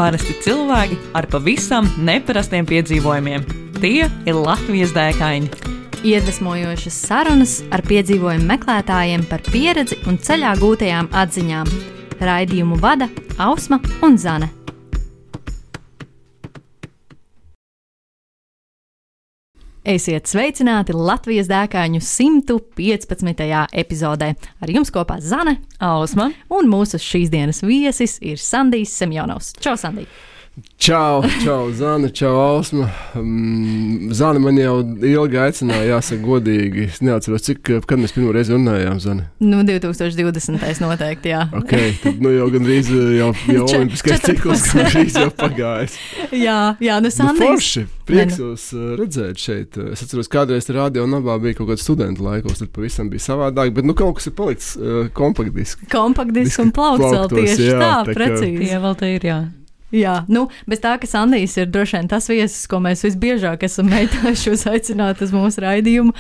Parasti cilvēki ar pavisam neparastiem piedzīvojumiem. Tie ir Latvijas dēkaini. Iedvesmojošas sarunas ar piedzīvojumu meklētājiem par pieredzi un ceļā gūtajām atziņām. Raidījumu vada Ausma un Zane. Esiet sveicināti Latvijas dēkāņu 115. epizodē. Ar jums kopā Zane, Ausma un mūsu šīs dienas viesis ir Sandijs Semjonovs. Čau, Sandij! Čau, Zane, čau, Ausma. Zane man jau ilgi aicināja, jāsaka godīgi. Es neatceros, kad mēs pirmo reizi runājām, Zane. 2020. noteikti, jā. Ok, tad jau gandrīz jau olimpiskais cikls gandrīz jau pagājis. Jā, Sandijs. Forši, prieks jūs redzēt šeit. Es atceros, kādreiz Radio Nabā bija kaut kāds studentu laikos, tad pavisam bija savādāk, bet kaut kas ir palicis kompaktdiski. Kompaktdiski un plaukts tieši jā, tā, precīzi. Tie vēl te ir, jā. Jā, bez tā, ka Sandijs ir droši vien tas viesis, ko mēs visbiežāk esam mēģinājuši uzaicināt uz mūsu raidījumu.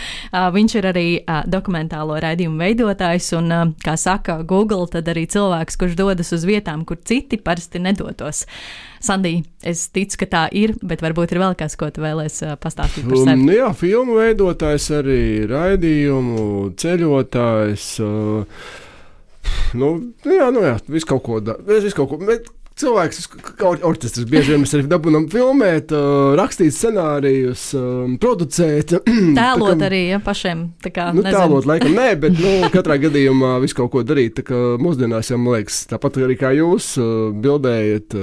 Viņš ir arī dokumentālo raidījumu veidotājs un, kā saka Google, tad arī cilvēks, kurš dodas uz vietām, kur citi parasti nedotos. Sandij, es ticu, ka tā ir, bet varbūt ir vēl kas, ko tu vēlies pastāstīt par sevi. Jā, filmu veidotājs arī, raidījumu, ceļotājs. Visu kaut ko. Cilvēks, orķestris, bieži vien mēs arī dabūnam filmēt, rakstīt scenārijus, producēt. Tēlot arī, ja, pašiem. Tēlot laikam nē, bet katrā gadījumā visu kaut ko darīt. Tā kā mūsdienās jau, man liekas, tāpat arī kā jūs bildējat,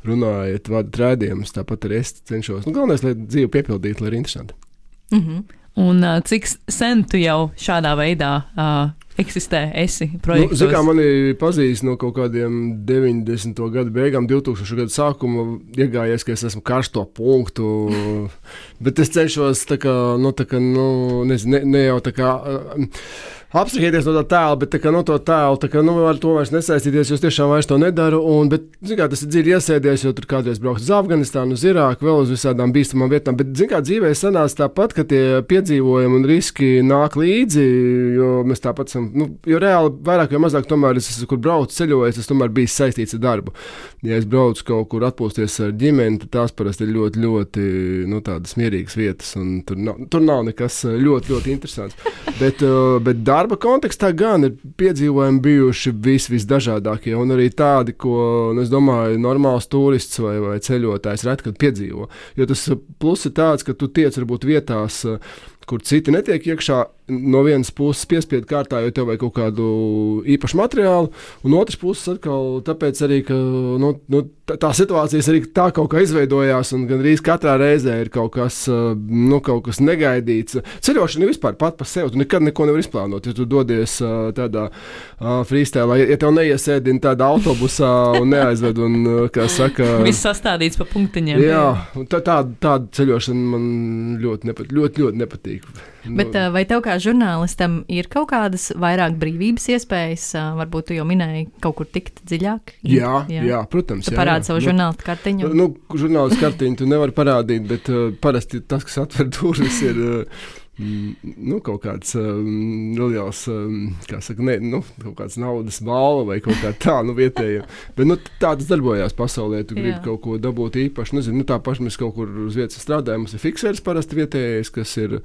runājat, vadat raidījumus, tāpat arī es cenšos. Galvenais, lai dzīve piepildītu, lai ir interesanti. Un cik sen tu jau šādā veidā eksistē, esi projektos? Kā mani pazīst no kaut kādiem 90. gadu beigām, 2000. gadu sākuma, iegājies, ka es esmu karsto punktu, bet es cenšos ne jau tā kā abstrahēties no tā tēla, bet no to tēlu, ar to vairs nesaistīties, jo es tiešām vairs to nedaru, bet, tas ir dziļi iesēdies, jo tur kādreiz braukt uz Afganistānu, uz Irāku, vēl uz visādām bīstamām vietām, bet, dzīvē sanāca tāpat, ka tie piedzīvojumi un riski nāk līdzi, jo mēs tāpat esam, jo reāli vairāk vai mazāk tomēr es esmu, kur braucu ceļojis, es tomēr bijis saistīts ar darbu. Ja es braucu kaut kur atpūsties ar ģimeni, tad tās parasti ir ļoti, ļoti, tādas mierīgas vietas, un tur nav nekas ļoti, ļoti interesants. Bet darba kontekstā gan ir piedzīvojumi bijuši visdažādākie, un arī tādi, ko, es domāju, normāls turists vai ceļotājs reti, kad piedzīvo. Jo tas plus ir tāds, ka tu tiec varbūt vietās, kur citi netiek iekšā, no vienas puses piespiedu kārtā, jo tev vajag kaut kādu īpašu materiālu, un otras puses atkal tāpēc arī, ka tā situācijas arī tā kaut kā izveidojās, un gandrīz katrā reizē ir kaut kas negaidīts. Ceļošana ir vispār pat par sevi, tu nekad neko nevar izplānot, ja tu dodies tādā freestēlā, ja tev neiesēdina tādā autobusā un neaizved, un, kā saka... Viss sastādīts pa punktiņiem. Jā, tāda ceļošana man ļoti nepatīk. Bet vai tev kā žurnālistam ir kaut kādas vairāk brīvības iespējas? Varbūt tu jau minēji kaut kur tikt dziļāk? Jā, protams. Tu parādi savu žurnālistu kartiņu? Žurnālistu kartiņu tu nevari parādīt, bet parasti tas, kas atver durvis, ir kaut kāds liels, kā saka, kaut kāds naudas balva vai kaut kā tā, vietējiem. Bet tā tas darbojās pasaulē, tu gribi kaut ko dabūt īpaši. Nezinu, tā paši mēs kaut kur uz vietas strādājam, mums ir fikseris parasti vietējais, kas ir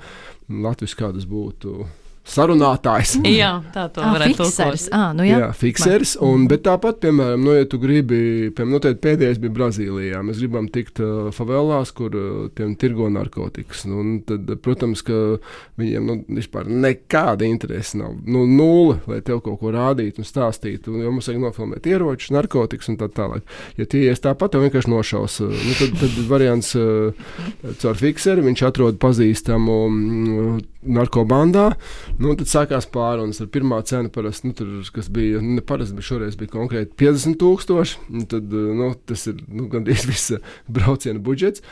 Latvijas kādas būtu sarunātājs. Jā, tā to varētu fikseris. Jā, fikseris. Bet tāpat, piemēram, ja tu gribi, pēdējais bija Brazīlijā, mēs gribam tikt favelās, kur tiem tirgo narkotikas. Tad, protams, ka viņiem vispār nekāda interese nav. Nulle, lai tev kaut ko rādītu un stāstītu. Jo mums vajag nofilmēt ieročus, narkotikas un tā tālāk. Ja tie ies tāpat, tev vienkārši nošaus. Tad variants caur fikseri, viņš atrod pazīstamu narkobandā. Tad sākās pārunas ar pirmā cena parasti, kas bija, neparasti, bet šoreiz bija konkrēti 50,000. Tad, tas ir gandrīz visa brauciena budžets.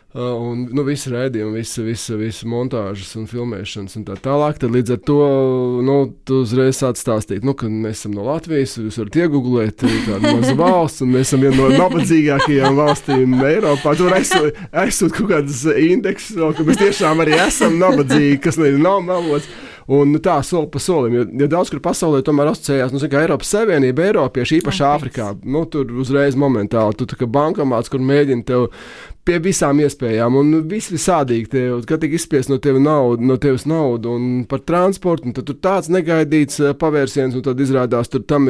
Un visi rēdījumi, visi montāžas un filmēšanas un tā tālāk. Tad līdz ar to tu uzreiz sāc stāstīt, ka mēs esam no Latvijas, jūs varat iegooglēt tādu mazu valsts, un mēs esam viena no nabadzīgākajām valstīm Eiropā. Tur aizsūt kaut kādas indeksus, ka mēs tiešām arī esam nabadzīgi, kas nav melots. Un tā soli pa solim, jo daudz kur pasaulē tomēr asociējās, kā Eiropas Savienība, Eiropieši, īpaši Āfrikā. Tur uzreiz momentāli, tu tā kā bankomāts, kur mēģina tev pie visām iespējām, un visādīgi tev, kad tik izspiest no tevis naudu, un par transportu, un tad tur tāds negaidīts pavērsiens, un tad izrādās, tur tam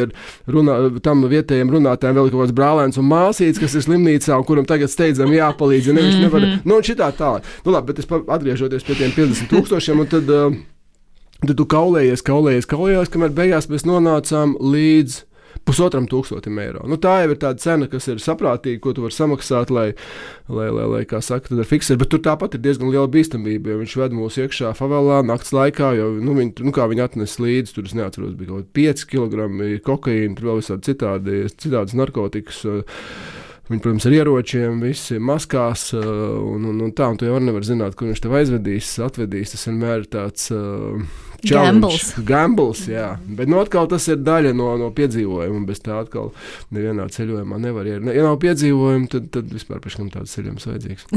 vietējiem runātājiem vēl kaut kāds brālēns un māsīts, kas ir slimnīcā, un kuram tagad steidzam jāpalīdz, ja nevis nevar, un šitā tā. Labi, bet es atgriežoties pie tiem 50,000, un tad tu kaulējies, kamēr beigās mēs nonācām līdz 1,500 eiro. Tā jau ir tāda cena, kas ir saprātīga, ko tu vari samaksāt, lai kā saka, tad ar fiksēt, bet tur tāpat ir diezgan liela bīstamība, jo viņš ved mūs iekšā favelā nakts laikā, jo, viņi atnes līdzi, tur es neatceros, bija kaut 5 kg kokaīna, tur vēl visādi citādas narkotikas, viņi, protams, ar ieročiem, visi maskās, un tu jau nevar zināt, kur viņš tev atvedīs, tas vienmēr ir tāds Gambles, jā. Bet atkal tas ir daļa no piedzīvojuma, bez tā atkal nevienā ceļojumā nevar. Ja nav piedzīvojumi, tad vispār pēc kam tāds ceļojums vajadzīgs.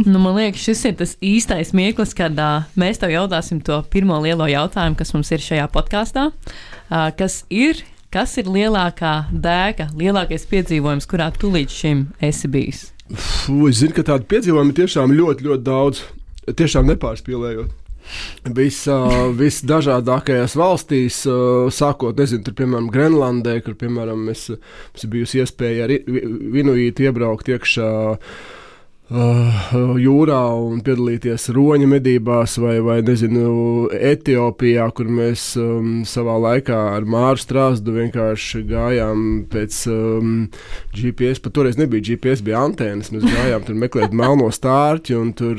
Man liekas, šis ir tas īstais mirklis, kad mēs tev jautāsim to pirmo lielo jautājumu, kas mums ir šajā podkāstā. Kas ir lielākā dēka, lielākais piedzīvojums, kurā tu līdz šim esi bijis? Es zinu, ka tādu piedzīvojumu tiešām ļoti, ļoti daudz, tiešām nepārspīlējot. Visdažādākajās valstīs, sākot, tur, piemēram, Grenlandē, kur, piemēram, es bijusi iespēja ar inuīti iebraukt iekšā jūrā un piedalīties roņa medībās vai Etiopijā, kur mēs savā laikā ar Māru Strāzdu vienkārši gājām pēc GPS, pat toreiz nebija GPS, bija antēnas, mēs gājām tur meklēt melno stārķi un tur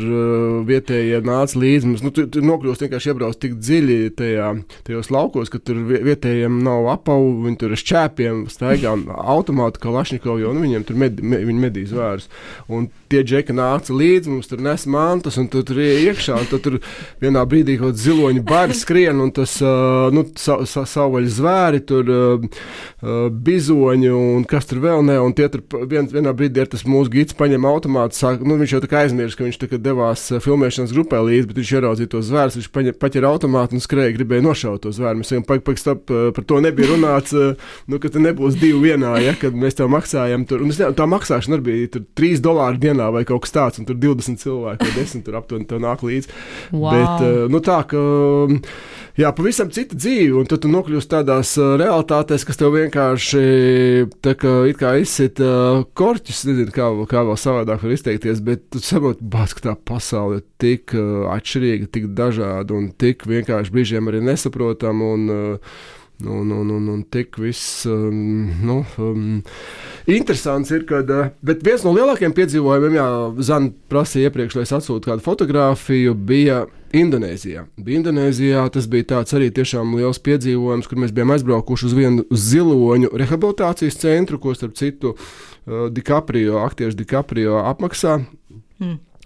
vietējie nāca līdzi, mums, tur nokļūst vienkārši iebrauc tik dziļi tajos laukos, ka tur vietējiem nav apavu, viņi tur ar šķēpiem staigā automātu Kalašņikovu, jo viņiem tur viņi medī zvērus. Un tie džeki nāca līdzi, mums tur nes mantas, un tur iekšā, un tur vienā brīdī kaut ziloņi bari skrien, un tas, savvaļas zvēri, tur bizoņi, un kas tur vēl ne, un tie tur vienā brīdī ir tas mūsu gids paņem automātu, sāk, viņš jau tā kā aizmirst, ka viņš tā kā devās filmēšanas grupē līdzi, bet viņš ieraudzīja tos zvērus, viņš paķer automātu un skrēja, gribēja nošaut tos zvērus. Mēs sakām, stop, par to nebija runāts, ka te nebūs 2 vienā, ja, kad mēs tev maksājam tur, un tā maksāšana arī bija tur $3 dienā vai kaut kas tāds, un tur 20 cilvēki vai 10 tur aptuveni tev nāk līdzi. Wow. Bet, tā, ka, jā, pavisam cita dzīve, un tad tu nokļūst tādās realitātēs, kas tev vienkārši, tā kā it kā izsit korķis, nezinu, kā vēl savādāk var izteikties, bet tu saproti, ka tā pasaule ir tik atšķirīga, tik dažāda, un tik vienkārši brīžiem arī nesaprotama, un tik viss, interesants ir, kad, bet viens no lielākajiem piedzīvojumiem, Zana prasīja iepriekš, lai es atsūtu kādu fotogrāfiju, bija Indonēzijā, tas bija tāds arī tiešām liels piedzīvojums, kur mēs bijām aizbraukuši uz vienu ziloņu rehabilitācijas centru, ko starp citu aktieris DiCaprio apmaksā.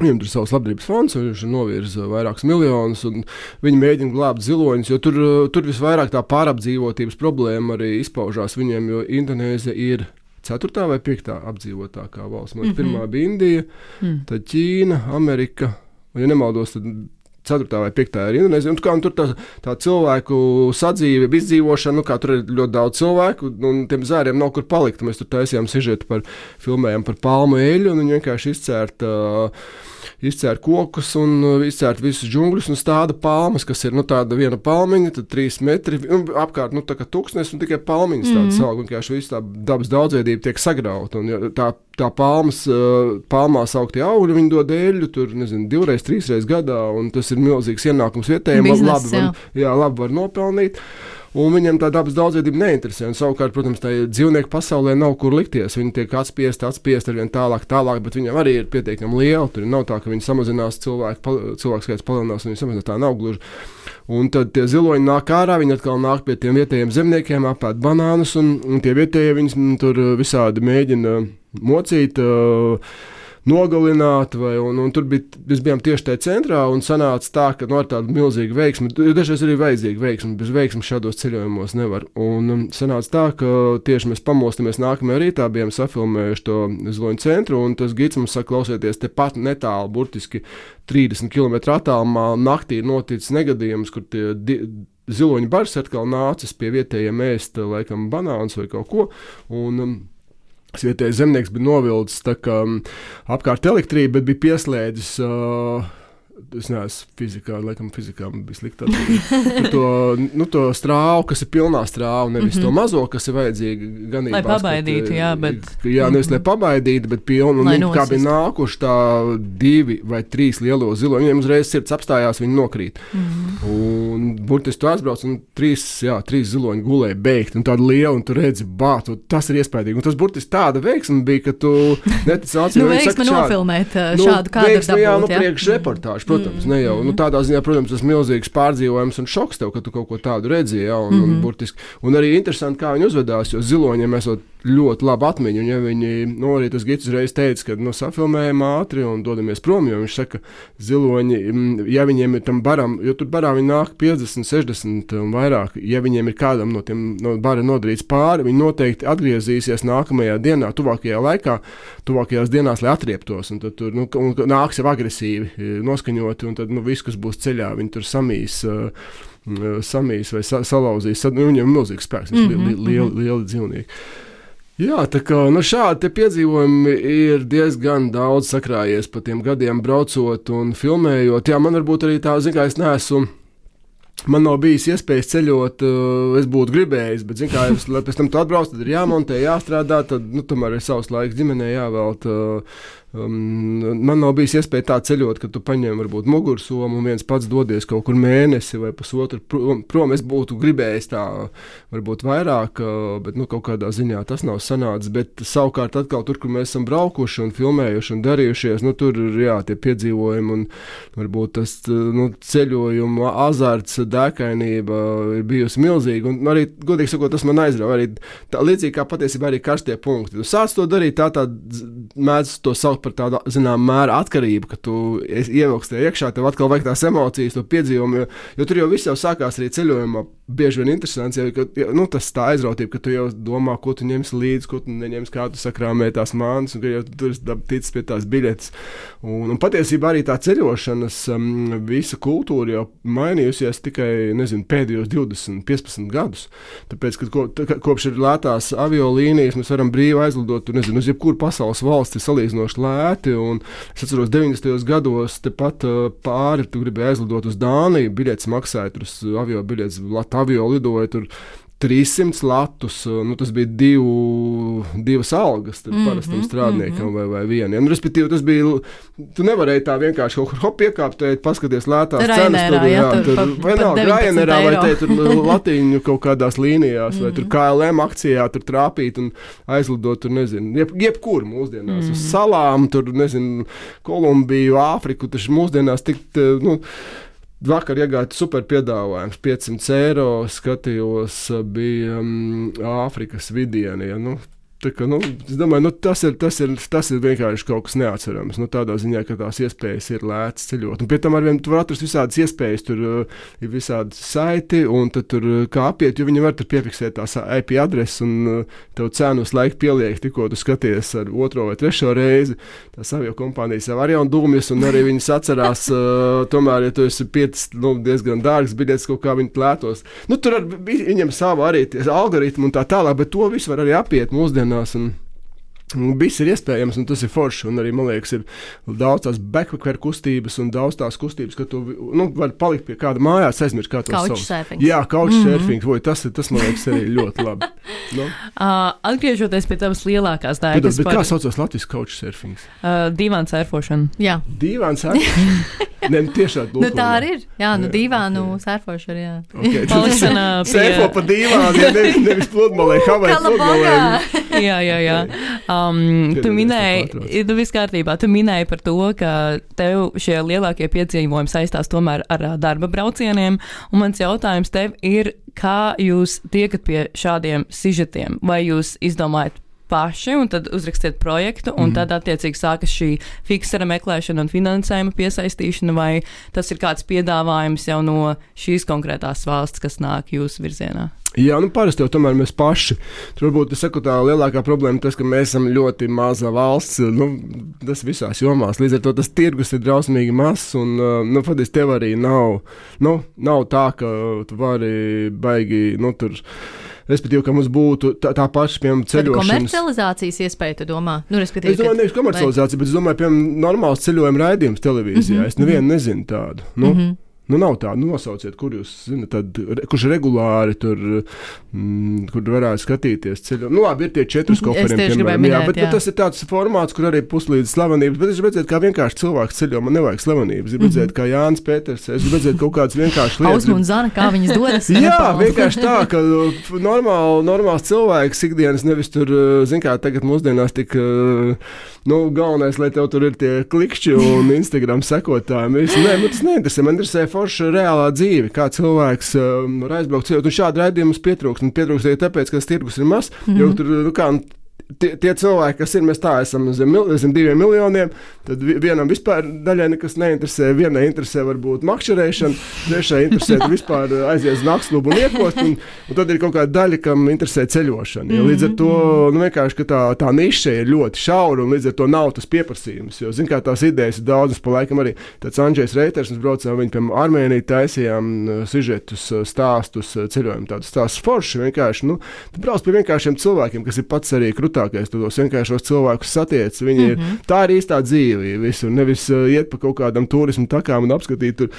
Viņam tur savs labdarības fonds, viņš novirza vairākus miljonus, un viņi mēģina glābt ziloņus, jo tur visvairāk tā pārapdzīvotības problēma arī izpaužās viņiem, jo Indonēzija ir 4. vai 5. apdzīvotākā valsts. Man pirmā bija Indija, tad Ķīna, Amerika, un ja nemaldos, tad 4. vai 5. ir Indonēzija, un tur tā cilvēku sadzīve, izdzīvošana, tur ir ļoti daudz cilvēku, un tiem zēriem nav kur palikt. Mēs tur taisījām sižetu filmējām par palmu eļu, un viņi vienkārši izcērt kokus un izcērt visus džungļus un stāda palmas, kas ir, tāda viena palmiņa, tad 3 metri, apkārt, tā kā tuksnes, un tikai palmiņas tādas aug, vienkārši visu tā dabas daudzveidība tiek sagrauta, un tā palmās augtie augļi, viņi dod eļļu, tur, 2-3 gadā, un tas ir milzīgs ienākums vietējiem, labi var nopelnīt. Un viņam tā dabas daudzveidība neinteresē. Un savukārt, protams, tā dzīvnieku pasaulē nav kur likties. Viņi tiek atspiesti arvien tālāk, bet viņam arī ir pietiekami liela. Tur nav tā, ka viņi samazinās cilvēku skaits palielinās, un viņi samazinās, tā nav gluži. Un tad tie ziloņi nāk ārā, viņi atkal nāk pie tiem vietējiem zemniekiem, apēd banānus, un tie vietējie viņus tur visādi mēģina mocīt, nogalināt, un tur mēs bijām tieši tajā centrā, un sanāca tā, ka ar tādu milzīgu veiksmi, dažreiz arī vajadzīga veiksmi, bez veiksmi šādos ceļojumos nevar. Un sanāca tā, ka tieši mēs pamostamies nākamajā rītā, bijām safilmējuši to Ziloņu centru, un tas gids mums saka, klausieties, te pat netālu, burtiski 30 km attālumā naktī ir noticis negadījums, kur tie ziloņu bars atkal nācis pie vietējiem ēst, laikam, banāns vai kaut ko, un vietējais zemnieks bija novilcis tā kā apkārt elektrību, bet bija pieslēdzis, es neesmu fizikā bija sliktā, to strāvu, kas ir pilnā strāva, nevis to mazo, kas ir vajadzīga ganībās. Lai pabaidītu, bet... Jā, nevis lai pabaidītu, bet pilnu, kā bija nākuši tā 2 vai 3 lielo ziloņu, viņiem uzreiz sirds apstājās, viņi nokrīt. Un burtiski tu aizbrauc, un 3 ziloņi gulēja beigt, un tāda liela, un tu redzi, tas ir iespējīgi. Un tas burtiski tāda veiksma bija, ka tu netici acīm. Veiksma nofilmēt šādu kadru dabūt, priekš reportāžu. Protams, ne jau. Tādā ziņā, protams, tas milzīgs pārdzīvojums un šoks tev, ka tu kaut ko tādu redzēji, un burtiski. Un arī interesanti, kā viņi uzvedās, jo ziloņiem esot ļoti labi atmiņu, un ja viņi, arī tas gids uzreiz teica, ka, safilmējam ātri un dodamies prom, jo viņš saka, ziloņi, ja viņiem ir tam baram, jo tur barā viņi nāk 50, 60 un vairāk, ja viņiem ir kādam no bara nodarīts pāri, viņi noteikti atgriezīsies nākamajā dienā, tuvākajās dienās, lai atrieptos, un tad tur, nāks jau agresīvi noskaņoti, un tad, viss, kas būs ceļā, viņi tur samīs vai salauzīs, viņiem ir milzīgs spēks, lieli dzīvnieki. Jā, tā kā šādi piedzīvojumi ir diezgan daudz sakrājies pa tiem gadiem braucot un filmējot. Jā, man varbūt arī tā, man nav bijis iespējas ceļot, es būtu gribējis, bet, lai pēc tam tu atbrauc, tad ir jāmontē, jāstrādā, tad, tomēr ir savs laiks ģimenē jāvelt. Man nav bijis iespēja tā ceļot, ka tu paņem varbūt mugursomu un viens pats dodies kaut kur mēnesi vai pusotru prom. Es būtu gribējis tā varbūt vairāk, bet kaut kādā ziņā tas nav sanācis. Bet savukārt atkal tur, kur mēs esam braukuši un filmējuši un darījušies, tur ir tie piedzīvojumi un varbūt tas ceļojuma azarts, dēkainība ir bijusi milzīga. Un arī, godīgi sakot, tas man aizrauja. Arī tā, līdzīgi kā patiesībā arī karstie punkti. Tu sāc to darīt, tā mēdz to saukt par tādu, mēra atkarību, ka tu ievilksi tajā iekšā, tev atkal vajag tās emocijas, to piedzīvumu, jo tur jau viss jau sākās arī ceļojumā, bieži vien interesants, tas tā aizrautība, ka tu jau domā, ko tu ņemsi līdzi, ko tu neņemsi, kā tu sakrāmē tās mānas, un ka jau tu esi ticis pie tās biļetes. Un patiesībā arī tā ceļošanas visa kultūra jau mainījusies tikai, pēdējos 20, 15 gadus. Tāpēc, ka kopš ir lētās aviolīnijas, mēs varam brīvi aizlidot, uz jebkuru pasaules valsti salīdzinoši lēti, un es atceros 90. gados tepat pāri, tu gribēji aizlidot uz Dāniju, biļetes maksāja, tur avio biļetes, avio lidoja tur 300 latus, tas bija divas algas parastam strādniekam vai vieniem. Respektīvi, tas bija, tu nevarēji tā vienkārši kaut kur piekāpt, paskaties lētās cenas, tur vai nav Rainerā, vai te tur Latīņu kaut kādās līnijās, vai tur KLM akcijā tur trāpīt un aizlidot, tur jebkur mūsdienās, uz salām, tur, Kolumbiju, Āfriku, taču mūsdienās tikt, vakar iegāja super piedāvājums, 500 eiro, skatījos, bija Āfrikas vidieni, Tā kā, es domāju, tas ir vienkārši kaut kas neatcerams. Tādā ziņā, ka tās iespējas ir lētas ceļot. Un pie tam arvien tu var atrast visādas iespējas, tur ir visādi saiti, un tad tur kā apiet, jo viņi var tur piefiksēt tās IP adresi, un tev cenu uz laiku pieliek, tikko tu skaties ar 2. vai 3. reizi. Tās avio kompānijas jau arī un dūmjas, un arī viņas atcerās, tomēr, ja tu esi diezgan dārgs biļetes, kaut kā viņi lētos. Tur viņam savu arī algoritmu un tā tālāk, bet to visu var arī apiet mūsdienās. Viss ir iespējams, un tas ir forši. Un arī, man liekas, ir daudz tās backpacker kustības un daudz tās kustības, ka tu vari palikt pie kāda mājās, aizmirst kā to sauc. Couchsurfing. Jā, couchsurfing. Tas, man liekas, arī ļoti labi. Atgriežoties pie tavas lielākās dēļas. Bet kā saucas latviešu couchsurfing? Dīvāns sērfošana. Jā. Dīvāns sērfošana? Nē, tiešām. Tā arī ir. Jā, dīvānu sērfošana, jā. Okay. Sērfo pa dīvānu, nevis pludmalē, Havai pludmalē. Jā. Tu minēji, viss kārtībā, tu minēji par to, ka tev šie lielākie piedzīvojumi saistās tomēr ar darba braucieniem, un mans jautājums tev ir, kā jūs tiekat pie šādiem sižetiem? Vai jūs izdomājat paši, un tad uzrakstiet projektu, un tad attiecīgi sākas šī fiksera meklēšana un finansējuma piesaistīšana, vai tas ir kāds piedāvājums jau no šīs konkrētās valsts, kas nāk jūsu virzienā? Jā, parasti jau tomēr mēs paši. Tur varbūt, es saku, tā lielākā problēma tas, ka mēs esam ļoti maza valsts, tas visās jomās. Līdz ar to tas tirgus ir drausmīgi mazs, un, faktiski tev arī nav tā, ka tu vari baigi, tur, respektīvi, ka mums būtu tā paša, piemēram, ceļošanas. Komercializācijas iespēja, tu domā? Es domāju, nevis komercializācija, bet es domāju, piemēram, normāls ceļojuma raidījums televīzijā. Es nevienu nezinu tādu. Nav tā, nosauciet, kur jūs zināt, kurš regulāri tur, kur varētu skatīties ceļojumu. Labi, ir tie 4 koferiem, piemēram, bet tas ir tāds formāts, kur arī puslīdz slavenības, bet es redzētu, kā vienkārši cilvēks ceļo, man nevajag slavenības, es redzētu, kā Jānis Pēters, es redzētu kaut kādas vienkārši lietas. Ausma un Zana, kā viņas dodas. Jā, vienkārši tā, ka normāls cilvēks ikdienas nevis tur, zin kā, tagad mūsdienās tik, galvenais, lai tev tur ir tie klikšķi un Instagram sekotāji. Nē, tas neinteresē, man interesē forša reālā dzīve, kā cilvēks var aizbraukt ceļot. Un šādi raidījumus pietrūkst. Un pietrūkst arī tāpēc, ka tas tirgus ir mazs, jo tur, tie cilvēki, kas ir, mēs tā esam zem 2 miljoniem, tad vienam vispār daļai nekas neinteresē, vienai interesē varbūt makšķerēšana, trešai interesē vispār aiziet uz naktsklubu un iekost, un tad ir kaut kāda daļa, kam interesē ceļošana. Ja, līdz ar to, vienkārši, ka tā niša ir ļoti šaura, un līdz ar to nav tas pieprasījums, jo, kā tās idejas ir daudz, pa laikam arī tāds Andžejs Reiters, mēs braucām viņu, piemēram, Armēniju taisījām sižetus, stāstus, ceļojumu tādus stāstus forši, vienkārši, tu brauc pie vienkāršiem cilvēkiem, kas ir pats arī krutākais, tu tos vienkāršos cilvēkus satiec, viņi ir, tā ir īstā dzīve visur, nevis iet pa kaut kādam turismu takām un apskatīt tur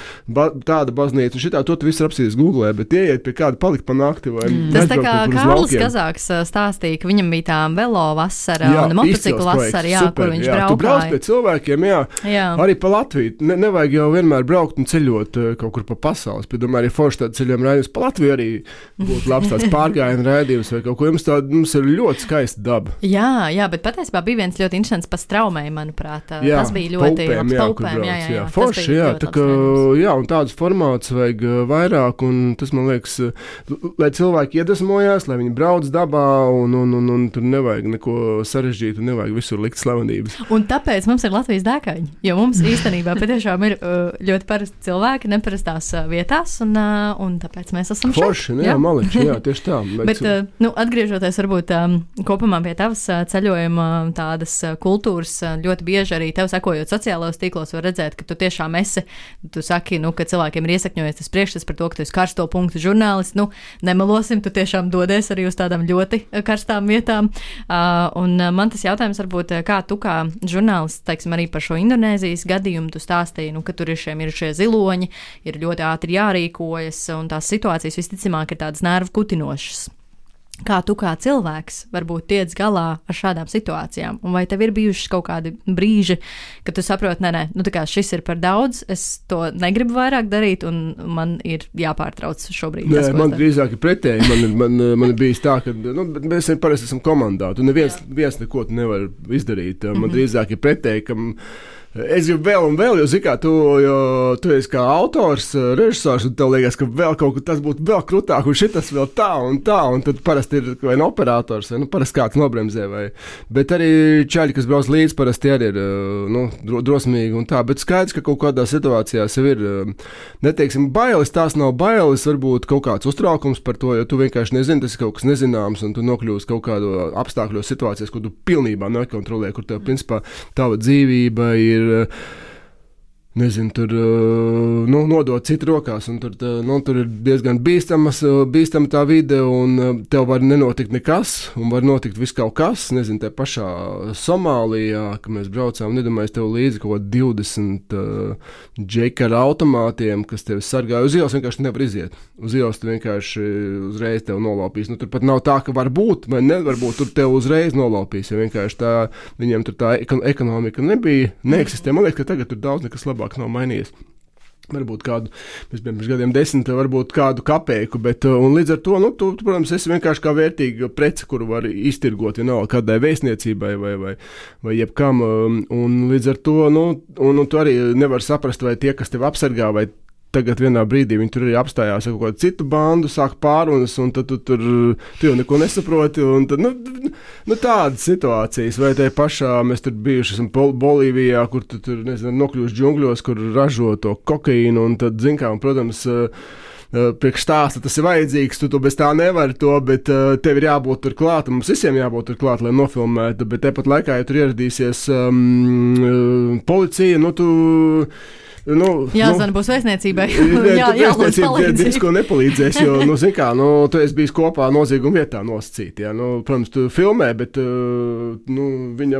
tāda baznīca, un šitā to tu visu apsīs Googlē, bet ieiet pie kāda palikt pa nakti vai tas tā kā Kārlis Kazāks stāstīja, ka viņam bija tā velo vasara un motociklu vasara, kur viņš braukāja. Tu brauc pie cilvēkiem, arī pa Latviju. Nevajag jau vienmēr braukt un ceļot kaut kur pa pasaules, bet domāju, arī forši tāda ceļojuma raidījums pa Latviju arī būtu labs tāds pārgājienu raidījums vai kaut ko. Mums ir ļoti skaista daba. Jā, bet patiesībā bija viens ļoti interesants pa Straumei, manuprāt. Tas bija ļoti paupēm. Jā. Forši, tā kā, un tādus formātus vajag vairāk, un tas, man liekas, lai cilvēki iedvesmojās, lai viņi brauc dabā, un tur nevajag neko sarežģīt, un nevajag visur likt slavenības. Un tāpēc mums ir Latvijas dēkaņi, jo mums īstenībā patiešām ir ļoti parasti cilvēki neparastās vietās, un tāpēc mēs esam šeit. Forši, maliči, tieši tā. Bet, atgriežoties varbūt kopumā pie tavas ceļojuma tādas kultūras, ļoti bieži arī tev sekojot sociālajos tīklos var redzēt, ka tu tiešām tu saki, ka cilvēkiem ir iesakņojies tas priekšstats par to, ka tu esi karsto punktu žurnālists, nemelosim, tu tiešām dodies arī uz tādām ļoti karstām vietām. Un man tas jautājums varbūt, kā tu kā žurnālists, teiksim, arī par šo Indonēzijas gadījumu, tu stāstīji, ka tur ir šie ziloņi, ir ļoti ātri jārīkojas, un tās situācijas visticamāk ir tādas nervu kutinošas. Kā tu kā cilvēks varbūt tiec galā ar šādām situācijām? Un vai tev ir bijuši kaut kādi brīži, kad tu saproti, tā kā šis ir par daudz, es to negribu vairāk darīt, un man ir jāpārtrauc šobrīd? Nē, man drīzāk ir pretēji. Man ir bijis tā, ka mēs parasti esam komandā. Tu neviens neko nevar izdarīt. Man drīzāk ir pretēji, ka es gribu vēl un vēl, jo tu esi kā autors, režisors, un tev liekas, ka vēl kaut kas tas būtu vēl krutāk, un šitas vēl tā, un tad parasti ir vai no operators, vai parasti kāds nobremzē, bet arī čaļi, kas brauc līdzi, parasti arī ir drosmīgi un tā, bet skaidrs, ka kaut kādā situācijā sev ir, neteiksim, bailes, tās nav bailes, varbūt kaut kāds uztraukums par to, jo tu vienkārši nezini, tas ir kaut kas nezināms, un tu nokļūsi kaut kādu apstākļos situācijas, kur tu pilnībā nekontrolē, kur tev, principā, tava dzīvība ir nezinu, tur nodot citu rokās, un tur ir diezgan bīstama tā vide, un tev var nenotikt nekas, un var notikt viss kaut kas, nezinu, te pašā Somālijā, ka mēs braucām, nedomāju, tev līdzi kaut 20 džekara automātiem, kas tevi sargāja uz ielas, vienkārši nevar iziet. Uz ielas tu vienkārši uzreiz tev nolaupīs. Tur pat nav tā, ka var būt, vai nevar būt, tur tev uzreiz nolaupīs, ja vienkārši tā, viņiem tur tā ekonomika neeksistē. Man liekas, ka tagad tur daudz nekas labāk nav mainījies. Varbūt kādu, mēs bijām pirms gadiem 10, varbūt kādu kapeiku, bet, un līdz ar to, tu, protams, esi vienkārši kā vērtīga prece, kuru var iztirgot, ja nav kādai vēstniecībai vai jebkam, un līdz ar to, un tu arī nevar saprast, vai tie, kas tevi apsargā, vai tagad vienā brīdī viņi tur arī apstājās ar kaut kādu citu bandu, sāk pārunas, un tad tu jau neko nesaproti, un tad, tādas situācijas, vai tai pašā mēs tur bijuši esam Bolīvijā, kur tu tur, nezinu, nokļūst džungļos, kur ražo to kokaīnu, un tad, zin kā, un, protams, priekš stāsta tas ir vajadzīgs, tu bez tā nevari to, bet tev ir jābūt tur klāt, mums visiem jābūt tur klāt, lai nofilmētu, bet tepat laikā, ja tur ieradīsies policija, jāzvana būs vēstniecībai. Diezko nepalīdzēs, jo, zin kā, tu esi bijis kopā nozieguma vietā nosacīt, jā, protams, tu filmē, bet, viņa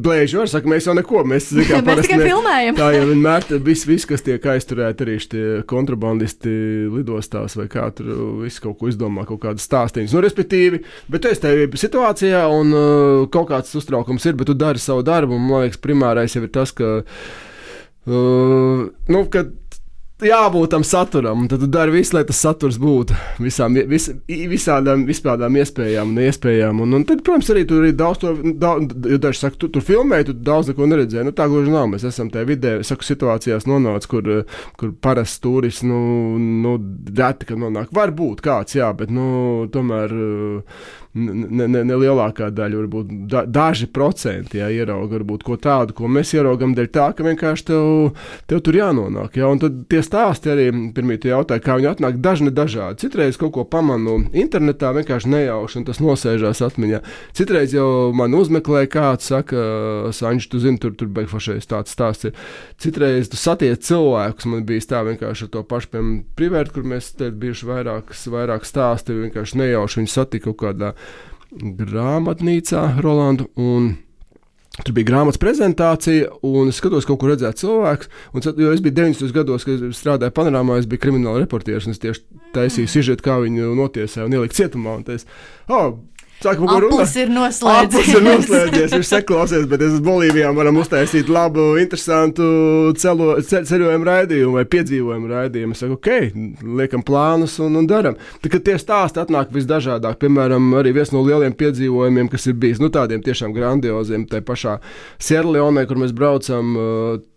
blēži var, saka, mēs jau neko, mēs, zin kā, mēs tikai filmējam. Tā jau vienmēr, viss, kas tiek aizturēti arī šitie kontrabandisti lidostās vai kā tur, viss kaut ko izdomā, kaut kādas stāstīņas, respektīvi, bet tu esi tajā situācijā un kaut kāds uztraukums ir, bet tu dari savu darbu, un, man liekas, primārais jau ir tas, ka kad jābūt tam saturam, un tad tu dari visu, lai tas saturs būtu visādām iespējām un neiespējām, un tad, protams, arī tur ir daudz, jo daži saka, tu filmēji, tu daudz neko neredzēji, tā gluži nav, mēs esam tajā vidē, saku, situācijās nonāc, kur parasts turists, reti, kad nonāk, var būt kāds, jā, bet, tomēr ne lielākā daļa, varbūt daži procenti, jā, ierauga varbūt ko tādu, ko mēs ieraugam dēļ tā, ka vienkārši tev tur jānonāk, jā, un tad tie stāsti arī, pirmie tu jautāji, kā viņi atnāk, dažādi. Citreiz kaut ko pamanu internetā, vienkārši nejauši, un tas nosēžās atmiņā. Citreiz jau man uzmeklē kāds, saka, Sanģi, tu zini, tur beigfošais tāds stāsts ir. Citreiz tu satiec cilvēkus, man bijis tā vienkārši ar to pašu, piemēram, Privērt, kur mēs te bijuši vairāk stāsti, vienkārši nejauši viņi satika kaut kādā grāmatnīcā, Rolandu, un tur bija grāmatas prezentācija, un es skatos, kaut kur redzēt cilvēks, jo es biju 90. gados, kad strādāju Panorāmā, es biju krimināla reportieris, un es tieši taisīju sižetu, kā viņu notiesāja un ielikt cietumā, un es, Aplis ir noslēdzies, viņš seklausies, bet es uz Bolīvijā varam uztaisīt labu, interesantu ceļojumu raidījumu vai piedzīvojumu raidījumu. Es saku, liekam plānus un daram. Tā, tie stāsti atnāk visdažādāk, piemēram, arī viens no lieliem piedzīvojumiem, kas ir bijis, tādiem tiešām grandioziem, tai pašā Sierleonē, kur mēs braucam,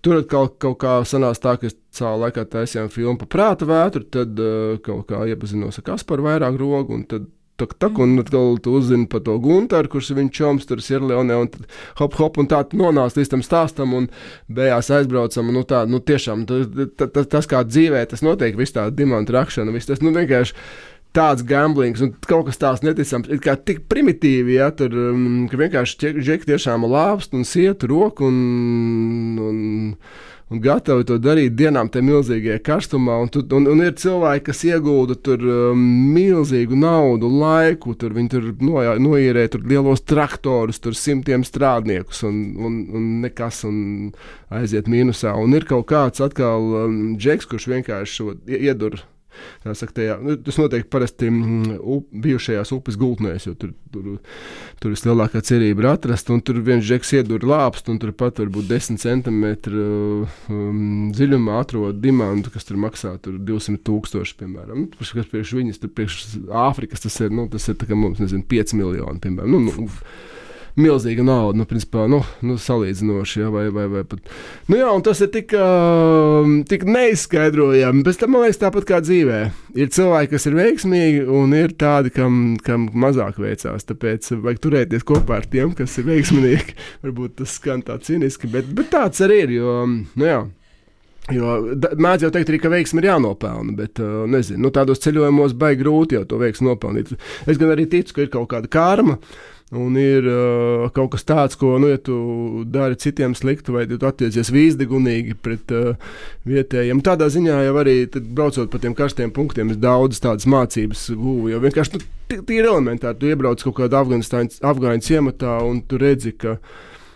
tur kaut kā sanās tā, ka savā laikā taisījām filmu par prāta vētru, tad kaut kā iepazinos ar Kasparu vairāk rogu, un tad un atkal tu uzzini par to Guntaru, kurš ir viņa čoms tur Sierleonē, un tad hop, un tā nonāc līdz tam stāstam, un beigās aizbraucam, un tiešām tas kā dzīvē, tas notiek, viss tā dimantu rakšana, viss tas, vienkārši tāds gamblings, un kaut kas tāds neticams, ir kā tik primitīvi, ja, tur, ka vienkārši džeki tiešām lāpst un siet roku, un gatavi to darīt dienām tajā milzīgajā karstumā, un ir cilvēki, kas iegulda tur milzīgu naudu, laiku, tur viņi tur noīrē tur lielos traktorus, tur 100 strādniekus, un nekas, un aiziet mīnusā, un ir kaut kāds atkal džeks, kurš vienkārši šo iedur. Tā saka, tas notiek parasti bijušajās upes gultnēs, jo tur vislielākā cerība ir atrast, un tur viens džeks iedur lāpst, un tur pat varbūt 10 centimetru dziļumā atrod dimantu, kas tur maksā tur 200,000, piemēram. Kas priekš viņas, tur priekš Āfrikas tas ir tā kā mums, 5 miljoni, piemēram. Milzīga nauda, principā, salīdzinoši, ja, vai pat. Jā, un tas ir tik neizskaidrojami, bet tam, man liekas, tāpat kā dzīvē. Ir cilvēki, kas ir veiksmīgi, un ir tādi, kam mazāk veicās, tāpēc vajag turēties kopā ar tiem, kas ir veiksmīgi. Varbūt tas skan tā ciniski, bet tāds arī ir, jo, Jo mēdz jau teikt arī, ka veiksmi ir jānopelna, bet, nezinu, tādos ceļojumos baigi grūti jau to veiksmi nopelnīt. Es gan arī ticu, ka ir kaut kāda karma, un ir kaut kas tāds, ko, ja tu dari citiem sliktu, vai tu attiecies vīzdegunīgi pret vietējiem. Tādā ziņā jau arī, braucot pa tiem karstiem punktiem, es daudz tādas mācības guvu, jo vienkārši, tīri elementāri, tu iebrauc kaut kādā afgāņu ciematā, un tu redzi, ka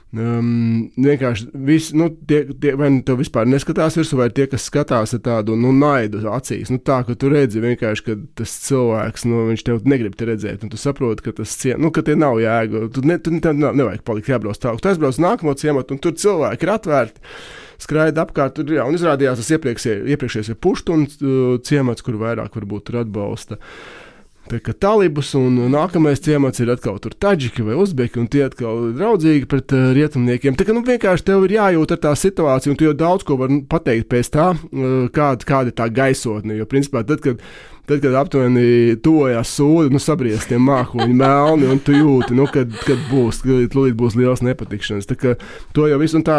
vienkārši visi, vai tev vispār neskatās virsū, vai tie, kas skatās ar tādu, naidu acīs, tā, ka tu redzi vienkārši, ka tas cilvēks, viņš tev negrib te redzēt, un tu saproti, ka tas ka tie nav jēga, tu nevajag palikt jābrauc tālāk, tu aizbrauc nākamo ciematu, un tur cilvēki ir atvērti, skraida apkārt, tur, jā, un izrādījās tas iepriekšējais ir Puštun ciemats, kur vairāk varbūt tur atbalsta. talibus, un nākamais ciemats ir atkal tur taģiki vai uzbeki, un tie atkal draudzīgi pret rietumniekiem. Tā kā vienkārši tev ir jājūt ar tā situāciju, un tu jau daudz ko var pateikt pēc tā, kāda ir tā gaisotne, jo principā tad, kad aptuveni tuvojās sūdi, sabriest tie mākoņi melni, un tu jūti, kad būs liels nepatikšanas. Tā kā to jau visu, un tā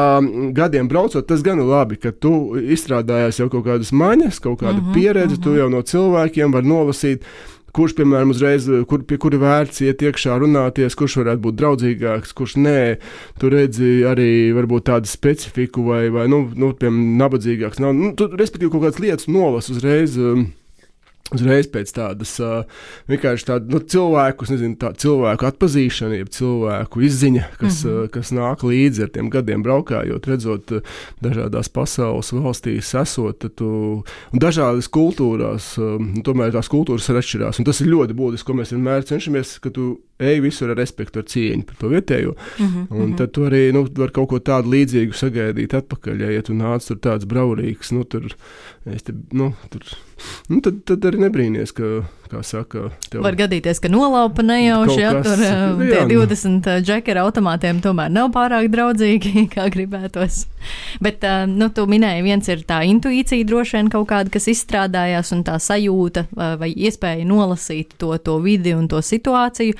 gadiem braucot, tas gan ir labi, ka tu izstrādājies jau kaut kādas maņas, kaut kādu pieredzi, tu jau no cilvēkiem var nolasīt, kurš, piemēram, uzreiz, pie kura vērts iet iekšā runāties, kurš varētu būt draudzīgāks, kurš nē. Tu redzi arī varbūt tādu specifiku vai piemēram, nabadzīgāks. Tu, respektīvi, kaut kādas lietas nolas uzreiz pēc tādas vienkārši tādu cilvēku atpazīšana, jeb cilvēku izziņa, kas nāk līdzi ar tiem gadiem braukājot, redzot dažādās pasaules valstīs esot, un dažādas kultūrās, tomēr tās kultūras ir atšķirās, un tas ir ļoti būtiski, ko mēs vienmēr cenšamies, ka tu ej visur ar respektu, ar cieņu par to vietējo, un tad tu arī var kaut ko tādu līdzīgu sagaidīt atpakaļ, ja tu nāc tur tāds braurīgs, tad arī nebrīnies, kā saka, tev var gadīties, ka nolaupa nejauši, tur tie 20 džekera automātiem tomēr nav pārāk draudzīgi, kā gribētos. Bet, tu minēji, viens ir tā intuīcija droši vien kaut kāda, kas izstrādājās, un tā sajūta vai iespēja nolasīt to vidi un to situāciju.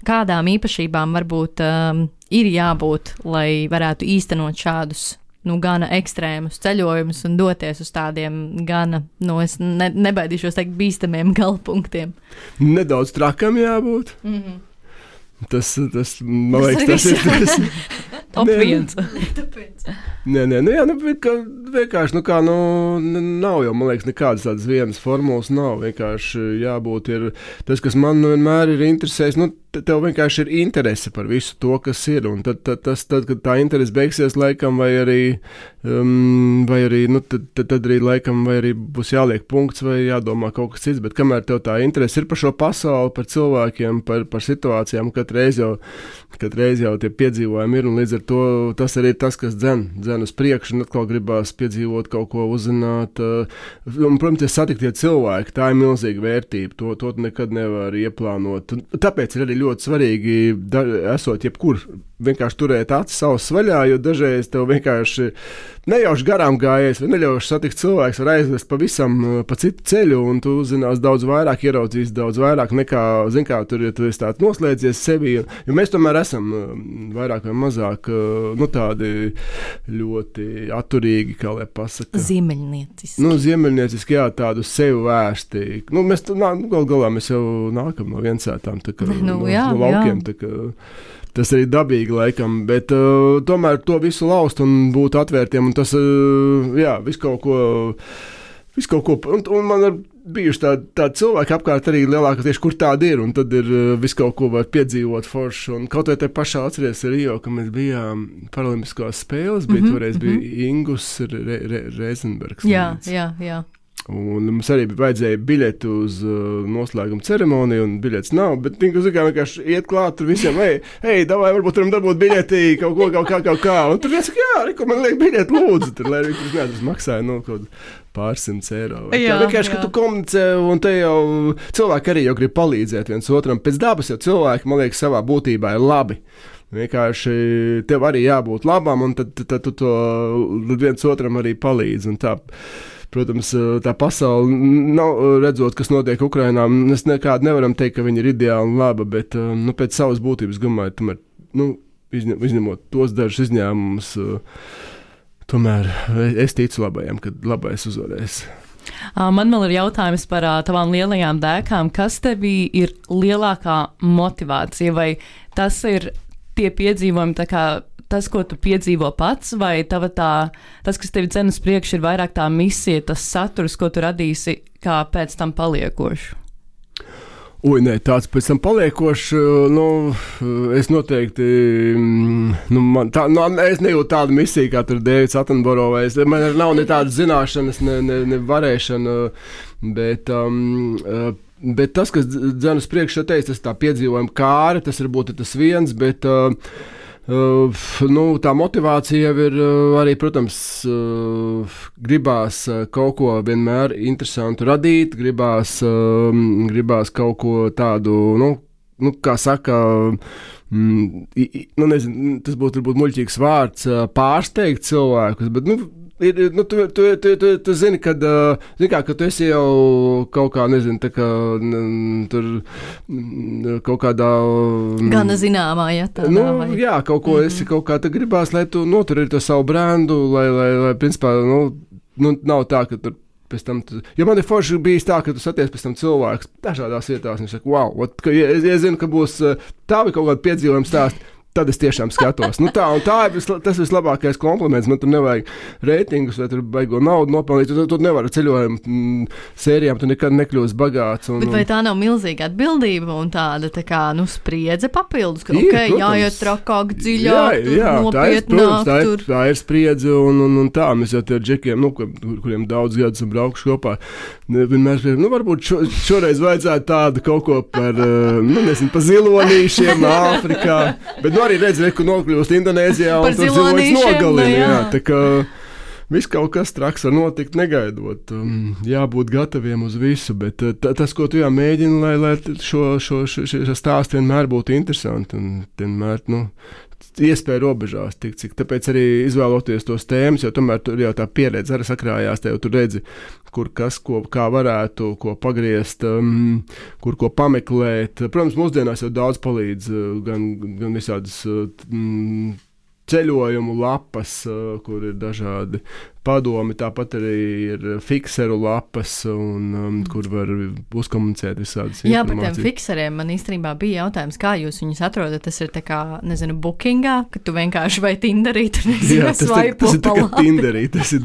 Kādām īpašībām varbūt ir jābūt, lai varētu īstenot šādus gana ekstrēmus ceļojumus un doties uz tādiem gana, es nebaidīšos teikt, bīstamiem galpunktiem. Nedaudz trakam jābūt. Tas, man liekas, tas ir top viens. Vienkārši, nav jau, man liekas, nekādas tādas vienas formulas nav. Vienkārši jābūt ir tas, kas man vienmēr ir interesējis, tev vienkārši ir interese par visu to, kas ir, un tad kad tā interese beigsies laikam, vai arī laikam, vai arī būs jāliek punkts, vai jādomā kaut kas cits, bet kamēr tev tā interese ir par šo pasauli, par cilvēkiem, par situācijām, katreiz jau tie piedzīvojumi ir, un līdz ar to tas arī ir tas, kas dzen uz priekšu, un atkal gribās piedzīvot kaut ko, uzzināt, un, protams, satiktie cilvēki, tā ir milzīga vērtība, to nekad nevar ieplānot, tāpēc ir arī ļoti svarīgi, esot jebkur, vienkārši turēt acis savas vaļā, jo dažreiz tev vienkārši nejauši garām gājies, vai neļauši satikt cilvēks, var aizvest pavisam pa citu ceļu, un tu zinās daudz vairāk, ieraudzīs daudz vairāk nekā, tur, ja tu esi tāds noslēdzies sevi, jo mēs tomēr esam vairāk vai mazāk, tādi ļoti atturīgi, kā lai pasaka. Ziemeļnieciski. Ziemeļnieciski, jā, tādu sevi vērsti. Mēs galā mēs jau nākam no viensētām, tā kā no laukiem, tā kā tas arī dabīgi laikam, bet tomēr to visu laust un būt atvērtiem, un tas, visu kaut ko, un man ir bijuši tādi cilvēki apkārt arī lielākoties, kur tādi ir, un tad ir visu kaut ko var piedzīvot forši, un kaut vai te pašā atceries Rio, ka mēs bijām Paralimpiskās spēles, toreiz bija Ingus Reizenbergs. Jā. Un mums arī vajadzēja biļeti uz noslēguma ceremoniju, un biļets nav, bet vienkārši iet klāt tur visiem, davai, varbūt varam dabūt biļeti, kaut kā, un tur viens saka, man liek biļeti, lūdzu, tur, lai viņš neatras maksāja, kaut pārsimts eiro. Vienkārši, ka tu komunicē, un te jau cilvēki arī jau grib palīdzēt viens otram, pēc dabas jau cilvēki, man liekas, savā būtībā ir labi. Vienkārši tev arī jābūt labam, un tad tu to viens otram arī palīdz, un tā. Protams, tā pasaule, redzot, kas notiek Ukrainā, mēs nekādu nevaram teikt, ka viņi ir ideāli un laba, bet pēc savas būtības, domāju, tomēr, izņemot tos dažus izņēmumus, tomēr es ticu labajam, kad labais uzvarēs. Man vēl ir jautājums par tavām lielajām dēkām. Kas tevī ir lielākā motivācija, vai tas ir tie piedzīvojumi, tā kā tas, ko tu piedzīvo pats, vai tas, kas tevi dzen uz priekšu, ir vairāk tā misija, tas saturs, ko tu radīsi, kā pēc tam paliekošu? Tāds pēc tam paliekošs, es noteikti, es nejūtu tādu misiju, kā tur Dēvids Attenborough, man nav ne tādas zināšanas, ne varēšana, bet tas, kas dzen uz priekšu, tas tā piedzīvojuma kāri, tas varbūt ir tas viens, bet Tā motivācija jau ir arī, protams, gribās kaut ko vienmēr interesantu radīt, gribās kaut ko tādu, kā saka, nezinu, tas būtu varbūt muļķīgs vārds, pārsteigt cilvēkus, bet, tu zini, kad tu esi jau kaut kā, nezinu, tā kā tur kaut kādā... Gana zināmā, ja tā nav. Jā, kaut ko esi kaut kā, tā gribās, lai tu noturēji to savu brendu, lai principā, nav tā, ka tur pēc tam, jo man ir forši bijis tā, ka tu saties pēc tam cilvēks dažādās vietās, un viņš saka, wow, es zinu, ka būs tavi kaut kādi piedzīvojumi stāsti, tad es tiešām skatos. Tā ir tas vislabākais kompliments. Man tur nevajag reitingus, vai tur baigo naudu nopelnīt. Tu nevari ceļojumu sērijām, tu nekad nekļūsi bagāts. Bet vai tā nav milzīga atbildība un tāda kā, spriedze papildus? Ka, jāiet trakāk, dziļāk, nopietnāk. Tā ir spriedze un tā. Mēs jau tie džekiem, kuriem daudz gadus un braukšu kopā, vienmēr varbūt šoreiz vajadzētu tādu kaut ko par, nezinu, pa zilonīšiem Āfrikā. Bet arī redz, ka nokļūst Indonēzijā un tur zilonis nogalina. Jā, tā kā viss kaut kas traks var notikt negaidot. Jābūt gataviem uz visu, bet tas, ko tu mēģini, lai šo stāstu vienmēr būtu interesanti un vienmēr, iespēja robežās tik cik. Tāpēc arī izvēloties tos tēmas, jo tomēr tur jau tā pieredze arī sakrājās, tev tu redzi, kur kas, kā varētu, ko pagriezt, kur ko pameklēt. Protams, mūsdienās jau daudz palīdz gan visādas ceļojumu lapas, kur ir dažādi padomi, tāpat arī ir fikseru lapas, un kur var uzkomunicēt visādas informācijas. Jā, par tiem fikseriem man īstenībā bija jautājums, kā jūs viņus atrodat. Tas ir tā kā, nezinu, bookingā, ka tu vienkārši vai Tinderī, tur nezinu, svaipo tas ir tā kā Tinderī, tas ir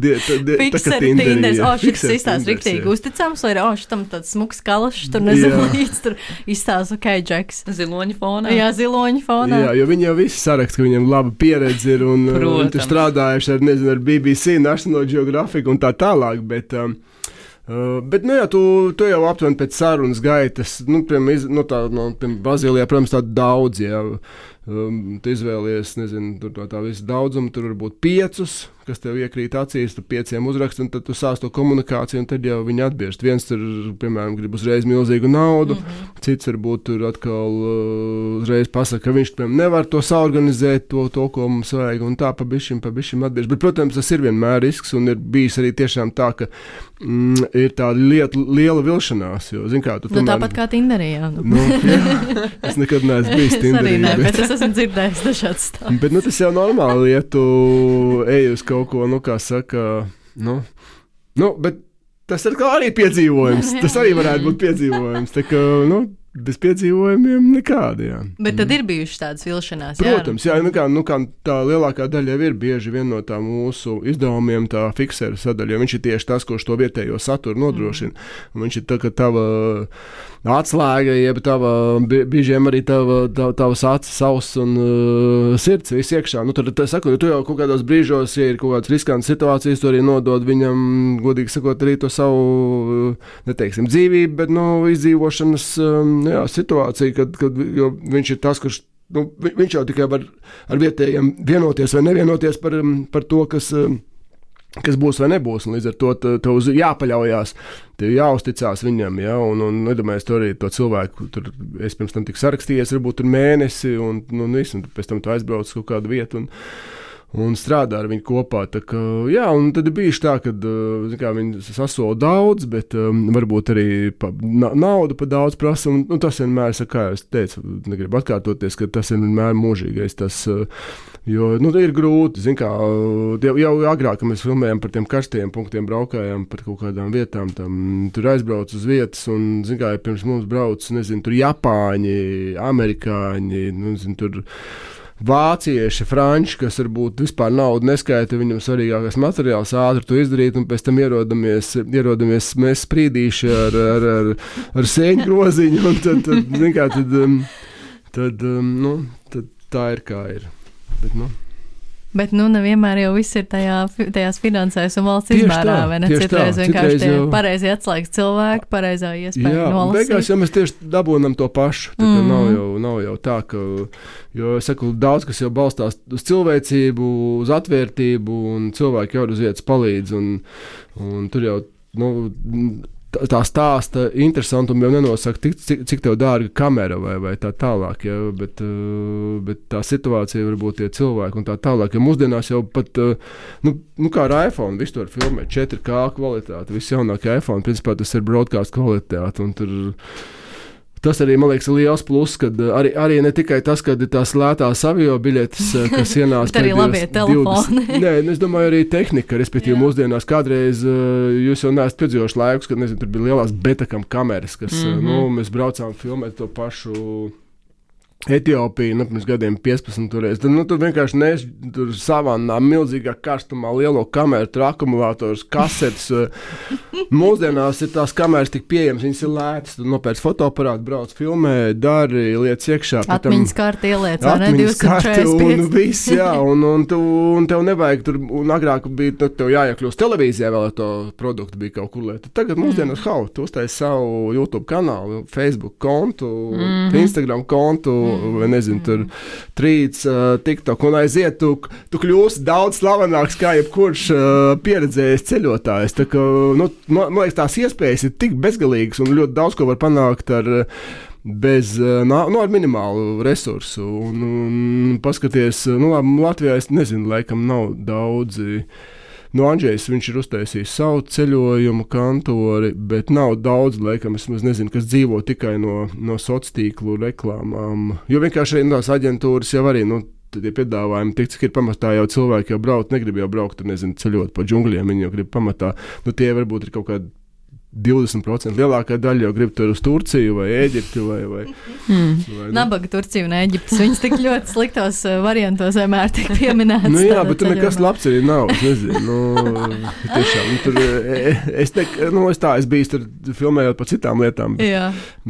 Fikseri Tinders, šis izstās riktīgi uzticams, vai šitam tāds smuks kalašs, tur nezinu, līdz tur izstās, Džeks. Ziloņa fonā. Jā, ziloņa fonā. Jā, jo viņi jau visi sarakst, ka viņiem laba pieredze ir, un tur strādājuši ar BBC, National Geographic un tā tālāk, bet tu jau aptuveni pēc sarunas gaitas, piemēram, Brazīlijā, protams, tādu daudz, jā, tu izvēlies, nezinu, tur tā visu daudzumu, tur varbūt 5, kas tev iekrīt acīs, tu 5 uzrakst, un tad tu sāc to komunikāciju, un tad jau viņi atbiežt. Viens tur, piemēram, grib uzreiz milzīgu naudu, cits varbūt tur atkal uzreiz pasaka, ka viņš, piemēram, nevar to saorganizēt, to, ko mums vajag, un tā pa bišķim atbiežt. Bet, protams, tas ir vienmēr risks, un ir bijis arī tiešām tā, ka ir tāda liela vilšanās, jo, zin kā, tu tomēr... tāpat kā Tinderī, jā. Jā, es nekad neesmu bijis Tinderī. Bet es esmu dzirdējis dažāds stāsts. Bet, tas jau normāli, ja tu ej uz kaut ko, kā saka, bet tas ir arī piedzīvojums. Tas arī varētu būt piedzīvojums. Tā kā, bez piedzīvojumiem nekādi, jā. Bet tad ir bijušas tādas vilšanās, jā? Protams, jā, kā tā lielākā daļa jau ir bieži vien no tā mūsu izdevumiem tā fikseru sadaļa, jo viņš ir tieši tas, kurš to vietējo saturu nodrošina. Un viņš ir tā, ka tava atslēga, jeb biežiem arī tavas acis, auss un sirds viss iekšā. Tad saku, tu jau kaut kādos brīžos, ja ir kaut kādas riskantas situācijas, tu arī nodod viņam, godīgi sakot, arī to savu, neteiksim, dzīvību, bet, izdzīvošanas situācija, kad viņš ir tas, kurš, viņš jau tikai var ar vietējiem vienoties vai nevienoties par to, kas būs vai nebūs, un līdz ar to tev jāpaļaujās, tev jāuzticās viņam, ja, un nedomājies to arī to cilvēku, tur es pirms tam tik sarakstījies, varbūt tur mēnesi, un visu, un pēc tam tu aizbrauc uz kaut kādu vietu, un strādā ar viņu kopā. Tā kā, jā, un tad ir bijuši tā, kad viņi sasola daudz, bet varbūt arī naudu pa daudz prasa, un tas vienmēr, kā es teicu, negribu atkārtoties, ka tas ir vienmēr mūžīgais, jo, ir grūti, jau agrāk, kad mēs filmējam par tiem karstajiem punktiem, braukājām par kaut kādām vietām, tur aizbrauc uz vietas, un, pirms mums brauc, tur Japāņi, Amerikāņi, tur vācieši, franči, kas varbūt vispār naudu neskaita, viņam svarīgākais materiāls ātri to izdarīt, un pēc tam ierodamies mēs sprīdīši ar sēņu groziņu, un tad tā ir kā ir. Bet, Bet, nevienmēr jau viss ir tajās finansēs un valsts izmērā, vai ne? Citreiz vienkārši tie pareizi atslēgas cilvēki, pareizā iespēja nolasīt. Jā, beigās jau mēs tieši dabūnam to pašu. Tā kā nav jau tā, ka, jo, es saku, daudz, kas jau balstās uz cilvēcību, uz atvērtību, un cilvēki jau uz vietas palīdz, un tur jau, tā stāsta interesantumu jau nenosaka, cik tev dārga kamera vai tā tālāk, ja, bet tā situācija varbūt tie cilvēki un tā tālāk, jo mūsdienās jau pat, kā ar iPhone, visu to var filmēt, 4K kvalitāte, viss jaunākie iPhone, principā tas ir broadcast kvalitāte, un tur tas arī, man liekas, ir liels pluss, kad arī ne tikai tas, kad ir tās lētās avio biļetes, kas ienāca. Bet arī labie telefoni. Nē, es domāju, arī tehnika, respektīvi mūsdienās kādreiz jūs jau neesat piedzīvojuši laikus, kad, tur bija lielās betakam kameras, kas, mēs braucām filmēt to pašu Etiopiju, pirms gadiem 15 turēs. Tur vienkārši tur savannā milzīgā karstumā lielo kameru, tur akumulātors, kasetes. Mūsdienās ir tās kameras tik pieejamas, viņas ir lētas. Tu nopērc fotoaparātu, brauc filmē, dari, liec iekšā. Atmiņas karti ieliec, vai ne? 245. Un viss, jā, un tev nevajag tur, un agrāk bija, tev jāiekļūst televīzijā vēl ar to produktu bija kaut kur lieta. Tagad mūsdienās tu uztaisi savu YouTube kanālu, Facebook kontu, Instagram kontu, vai nezinu, tur trīts, TikTok, un aiziet, tu kļūsi daudz slavenāks kā jebkurš pieredzējis ceļotājs. Tā kā, man liekas, tās iespējas ir tik bezgalīgas un ļoti daudz ko var panākt ar minimālu resursu. Un paskaties, Latvijā es nezinu, laikam nav daudzi. Andžejs, viņš ir uztaisījis savu ceļojumu kantori, bet nav daudz, laikam, es nezinu, kas dzīvo tikai no sociālo reklāmām. Jo vienkārši arī tās aģentūras jau arī, tie piedāvājumi, cik ir pamatā jau cilvēki jau braukt, negrib jau braukt, nezinu, ceļot pa džungļiem, viņi jau grib pamatā, tie varbūt ir kaut kādi 20% lielākā daļa jau grib tur uz Turciju vai Ēģipti vai Nabaga Turcija un Ēģiptes. Viņas tik ļoti sliktos variantos vienmēr tiek pieminētas. Jā, bet tur nekas labs arī nav. Es nezinu. Tiešām, tur, es biju tur filmējot par citām lietām.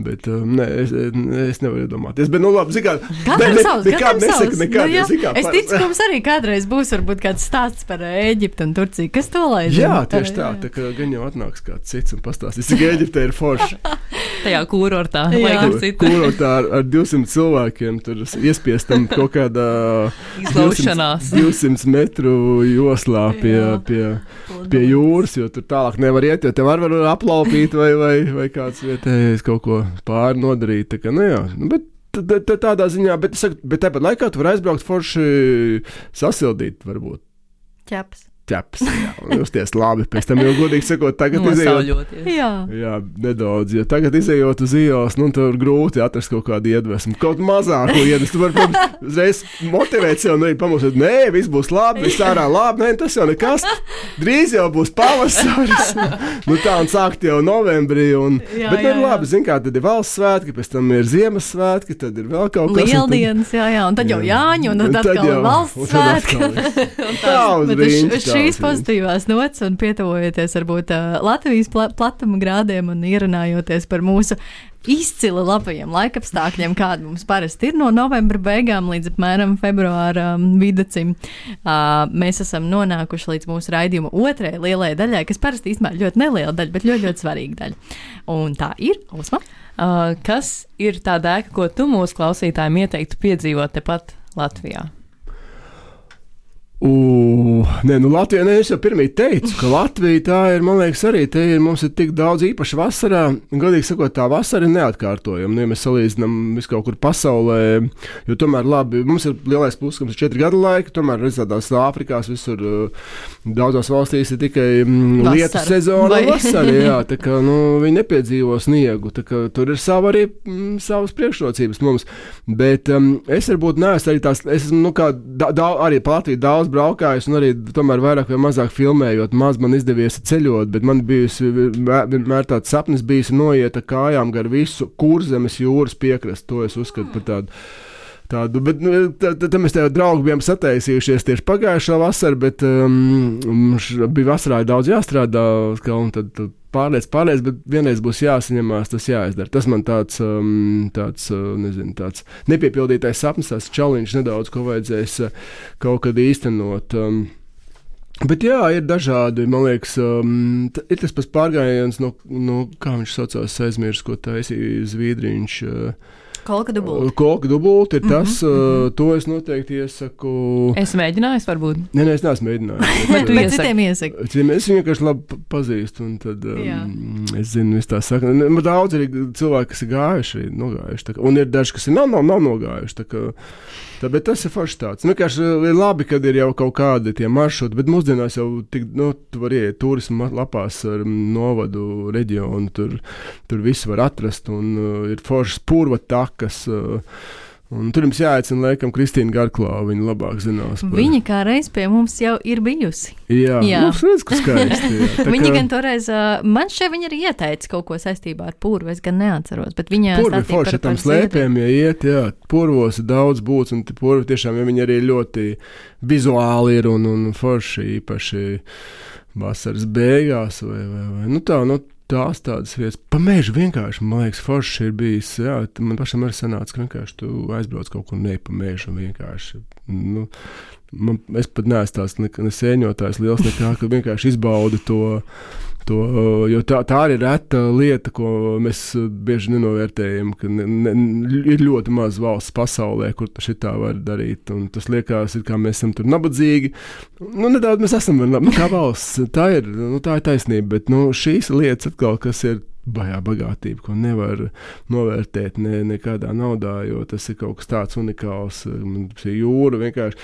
Bet es nevaru iedomāties. Bet, labi, zikā. Nekād nesaka nekād. Es ticu, ka mums arī kādreiz būs varbūt kāds stāsts par Ēģiptu un Turciju. Kas to lai zina? Jā, tieši tā. Tā kā gan jau atnāks kāds cits un pastāstīs, cik Ēģipte ir forša. Tajā kūrortā. Kūrortā ar 200 cilvēkiem, tur iespiestam kaut kādā 200 metru joslā pie jūras, jo tur tālāk nevar iet, jo te var aplaupīt vai kāds vietējais kaut ko pāri nodarīt. Tā kā, bet tādā ziņā, bet tāpat laikā tu var aizbraukt forši sasildīt, varbūt. Ķeps, jā, un justies labi. Pēc tam jau godīgi sakot, tagad izejot. Jā, nedaudz, jo tagad izejot uz ielas, tur grūti atrast kaut kādu iedvesmu. Kaut mazāku iedvesmu. Tu vari uzreiz motivēt sev, pamūsēt, viss būs labi, viss ārā labi, tas jau nekas. Drīz jau būs pavasaris. Tā un sākt jau novembrī. Bet ir labi, zin kā, tad ir valsts svētki, pēc tam ir Ziemassvētki, tad ir vēl kaut kas. Lieldienas, un tad jau Jāņu, un tad atkal valsts svētki. Tā uz rīņķi. Šīs pozitīvās nots un pietuvojoties varbūt Latvijas platuma grādiem un ierunājoties par mūsu izcili labajiem laikapstākļiem, kādi mums parasti ir no novembra beigām līdz apmēram februāra vidacim. Mēs esam nonākuši līdz mūsu raidījuma otrajai lielajai daļai, kas parasti īstenībā ļoti neliela daļa, bet ļoti, ļoti svarīga daļa. Un tā ir, Osma. Kas ir tā dēka, ko tu mūsu klausītājiem ieteiktu piedzīvot tepat Latvijā? Latvijā, es jau pirmie teicu, ka Latvija tā ir, man liekas, arī mums ir tik daudz īpaši vasarā, un godīgi sakot, tā vasara ir neatkārtojama. Ja mēs salīdzinām visu kaut kur pasaulē, jo tomēr labi, mums ir lielais pluss, ka mums ir 4 gadu laika, tomēr tādās Āfrikās visur daudzās valstīs ir tikai lietu sezona vasara, jā, tā kā, viņi nepiedzīvo sniegu, tā kā tur ir savas priekšrocības mums, bet es varbūt neesmu arī tās, es esmu, arī pa Latviju daudz braukājis un arī tomēr vairāk vai mazāk filmējot. Maz man izdevies ceļot, bet man vienmēr tāds sapnis bijis noiet ar kājām gar visu Kurzemes jūras piekrastu. To es uzskatu par tādu. Bet tad mēs tev draugi bijām sataisījušies tieši pagājušā vasara, bet bija vasarā daudz jāstrādā, un tad pārliec, bet vienreiz būs jāsaņemās, tas jāizdara. Tas man tāds nepiepildītais sapnis, tās challenge nedaudz, ko vajadzēs kaut kad īstenot. Bet jā, ir dažādi, man liekas, ir tas pats pārgājiens, no kā viņš saucās, aizmirst, ko taisīja Zviedriņš. Kolka dubulti ir tas, to es noteikti iesaku. Es mēģināju, varbūt. Nē, es neesmu mēģinājis. Bet citiem iesaku. Es viņu vienkārši labi pazīstu, un tad es zinu, viss tā saka. Daudz arī cilvēki, kas ir gājuši, nogājuši. Un ir daži, kas ir nav nogājuši. Bet tas ir forši tāds. Vienkārši ir labi, kad ir jau kaut kādi tie maršruti, bet mūsdienās jau tu vari iet turismu lapās ar novadu reģionu, tur visu var atrast, un ir foršas purva takas, un tur jums jāaicina, laikam, Kristīna Garklāva, viņa labāk zinās. Viņa kā reiz pie mums jau ir bijusi. Jā. Mums redz, ka skaisti. Viņa gan toreiz, man šeit viņa arī ieteica kaut ko saistībā ar purvu, es gan neatceros, bet viņa stāstīja forši, tam slēpiem, purvos ir daudz būts, un purvi tiešām, viņi arī ļoti vizuāli ir un forši īpaši vasaras beigās vai tās tādas vietas. Pa mežu vienkārši, man liekas, forši ir bijis. Jā, man pašam arī sanāca, ka vienkārši tu aizbrauc kaut kur pa mežu un vienkārši. Es pat neesmu tās ne sēņotājs liels nekā, ka vienkārši izbaudu to, jo tā arī ir reta lieta, ko mēs bieži nenovērtējam, ka ir ļoti maz valsts pasaulē, kur šitā var darīt, un tas liekas, kā mēs esam tur nabadzīgi. Nedaudz mēs esam, kā valsts, tā ir taisnība, bet šīs lietas atkal, kas ir bajā bagātība, ko nevar novērtēt nekādā naudā, jo tas ir kaut kas tāds unikāls. Jūra vienkārši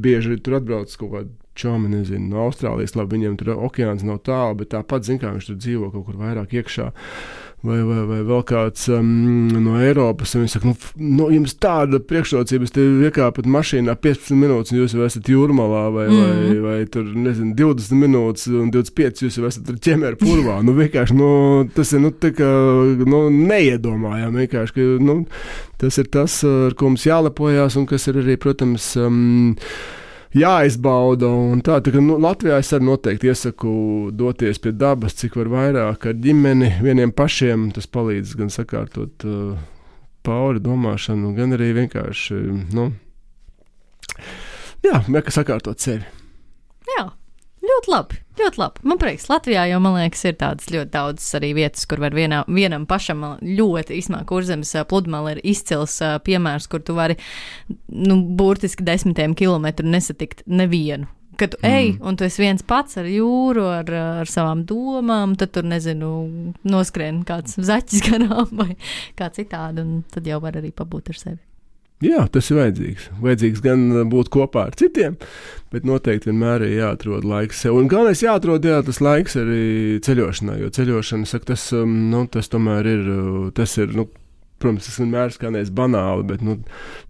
bieži tur atbrauc kaut kādu čomi, nezinu, no Austrālijas, labi, viņiem tur okeāns nav tālu, bet tāpat, zin kā, viņš tur dzīvo kaut kur vairāk iekšā. Vai vēl kāds no Eiropas, un viņi saka, jums tāda priekšrocības, te iekāpat mašīnā 15 minūtes, un jūs jau esat Jūrmalā, vai tur, nezinu, 20 minūtes un 25, jūs jau esat ķemēra purvā. Vienkārši, tas ir, tā kā, neiedomājām, vienkārši, ka, tas ir tas, ar ko mums jālepojās, un kas ir arī, protams, jāizbauda, un tā kā Latvijā es arī noteikti iesaku doties pie dabas, cik var vairāk ar ģimeni, vieniem pašiem, tas palīdz gan sakārtot pauri domāšanu, gan arī vienkārši, sakārtot sevi. Jā. Ļoti labi. Man prieks, Latvijā jau, man liekas, ir tādas ļoti daudzas arī vietas, kur var vienam pašam ļoti īsmā Kurzemes pludmale ir izcils piemērs, kur tu vari, burtiski 10 kilometru nesatikt nevienu. Kad tu ej, un tu esi viens pats ar jūru, ar savām domām, tad tur, nezinu, noskrien kāds zaķis garām vai kā citādi, un tad jau var arī pabūt ar sevi. Jā, tas ir vajadzīgs. Vajadzīgs gan būt kopā ar citiem, bet noteikti vienmēr ir jāatrod laiks sev. Un galvenais jāatrod, tas laiks arī ceļošanai, jo ceļošana, saka, tas tomēr ir, protams, tas vienmēr skanēs banāli, bet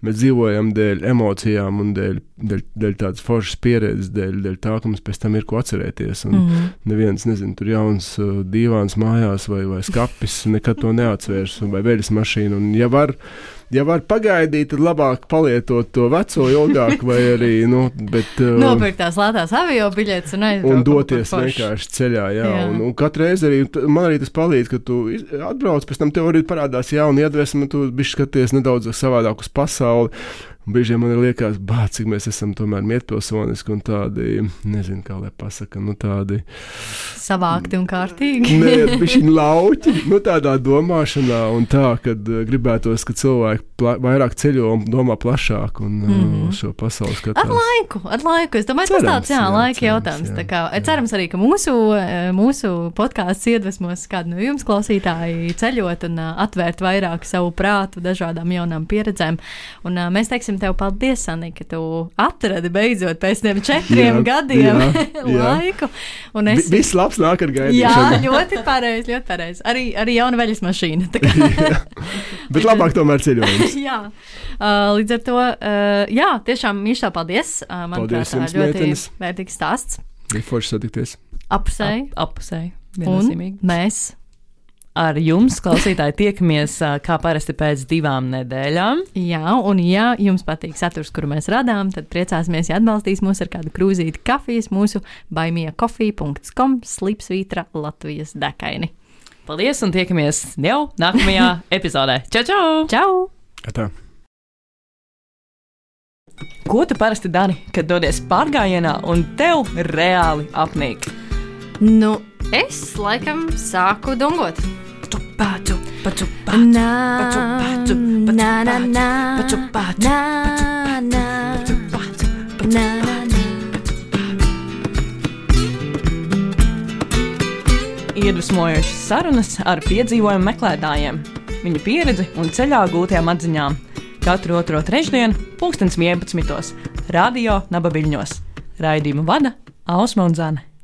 mēs dzīvojam dēļ emocijām un dēļ tādas foršas pieredzes, dēļ tā, ka mums pēc tam ir ko atcerēties. Un neviens, nezinu, tur jauns dīvāns mājās vai skapis nekad to neatvērs, vai veļas mašīnu. Un ja var pagaidīt, tad labāk palietot to veco ilgāk, vai arī, nopirkt tās lētās avio biļetes un aizbraukt. Un doties vienkārši ceļā, jā. Un katru reizi arī, man arī tas palīdz, ka tu atbrauc, pēc tam tev arī parādās jauna iedvesma, tu bišķi skaties nedaudz savādāk uz pasauli. Un brīžiem man liekas, cik mēs esam tomēr mietpilsoniski un tādi, nezinu, kā lai pasaka, tādi savākti un kārtīgi. Nē, bišķiņ lauķi, tādā domāšanā un tā, kad gribētos, ka cilvēki vairāk ceļo un domā plašāk un šo pasauli skatās. Ar laiku. Es domāju, tas tāds, laika jautājums. Tā kā, cerams arī, ka mūsu podkāsts iedvesmos kādu no jums klausītāji ceļot un atvērt vairāk savu prātu dažādām jaunām pieredzēm. Un mēs teiksim tev paldies, Sanī, ka tu atradi beidzot pēc tiem 4 gadiem laiku. Un viss labs nāk ar gaidīšanu. Jā, ļoti pareizi. Arī jauna veļas mašīna. Bet labāk tomēr ceļojums. Jā. Līdz ar to, tiešām mīļš paldies. Paldies jums, ļoti meitenes. Vērtīgs stāsts. Bija forši satikties. Apusēji. Un mēs ar jums, klausītāji, tiekamies kā parasti pēc 2 nedēļām. Jā, un ja jums patīk saturs, kuru mēs radām, tad priecāsimies, ja atbalstīs mūs ar kādu krūzīti kafijas mūsu buymeacoffee.com/Latvijas dekaini. Paldies un tiekamies jau nākamajā epizodē. Čau! Čau! Tā. Ko tu parasti dari, kad dodies pārgājienā un tev reāli apnīk? Nu, es laikam sāku dungot. Paču, paču, Na, paču, paču, na, na, na, paču, paču, na, na, na, na. Iedvesmojošas sarunas ar piedzīvojumu meklētājiem, viņu pieredzi un ceļā gūtajām atziņām. Katru otro trešdienu, 11:00, Radio Naba Viļņos. Raidījumu vada Ausma un Zane.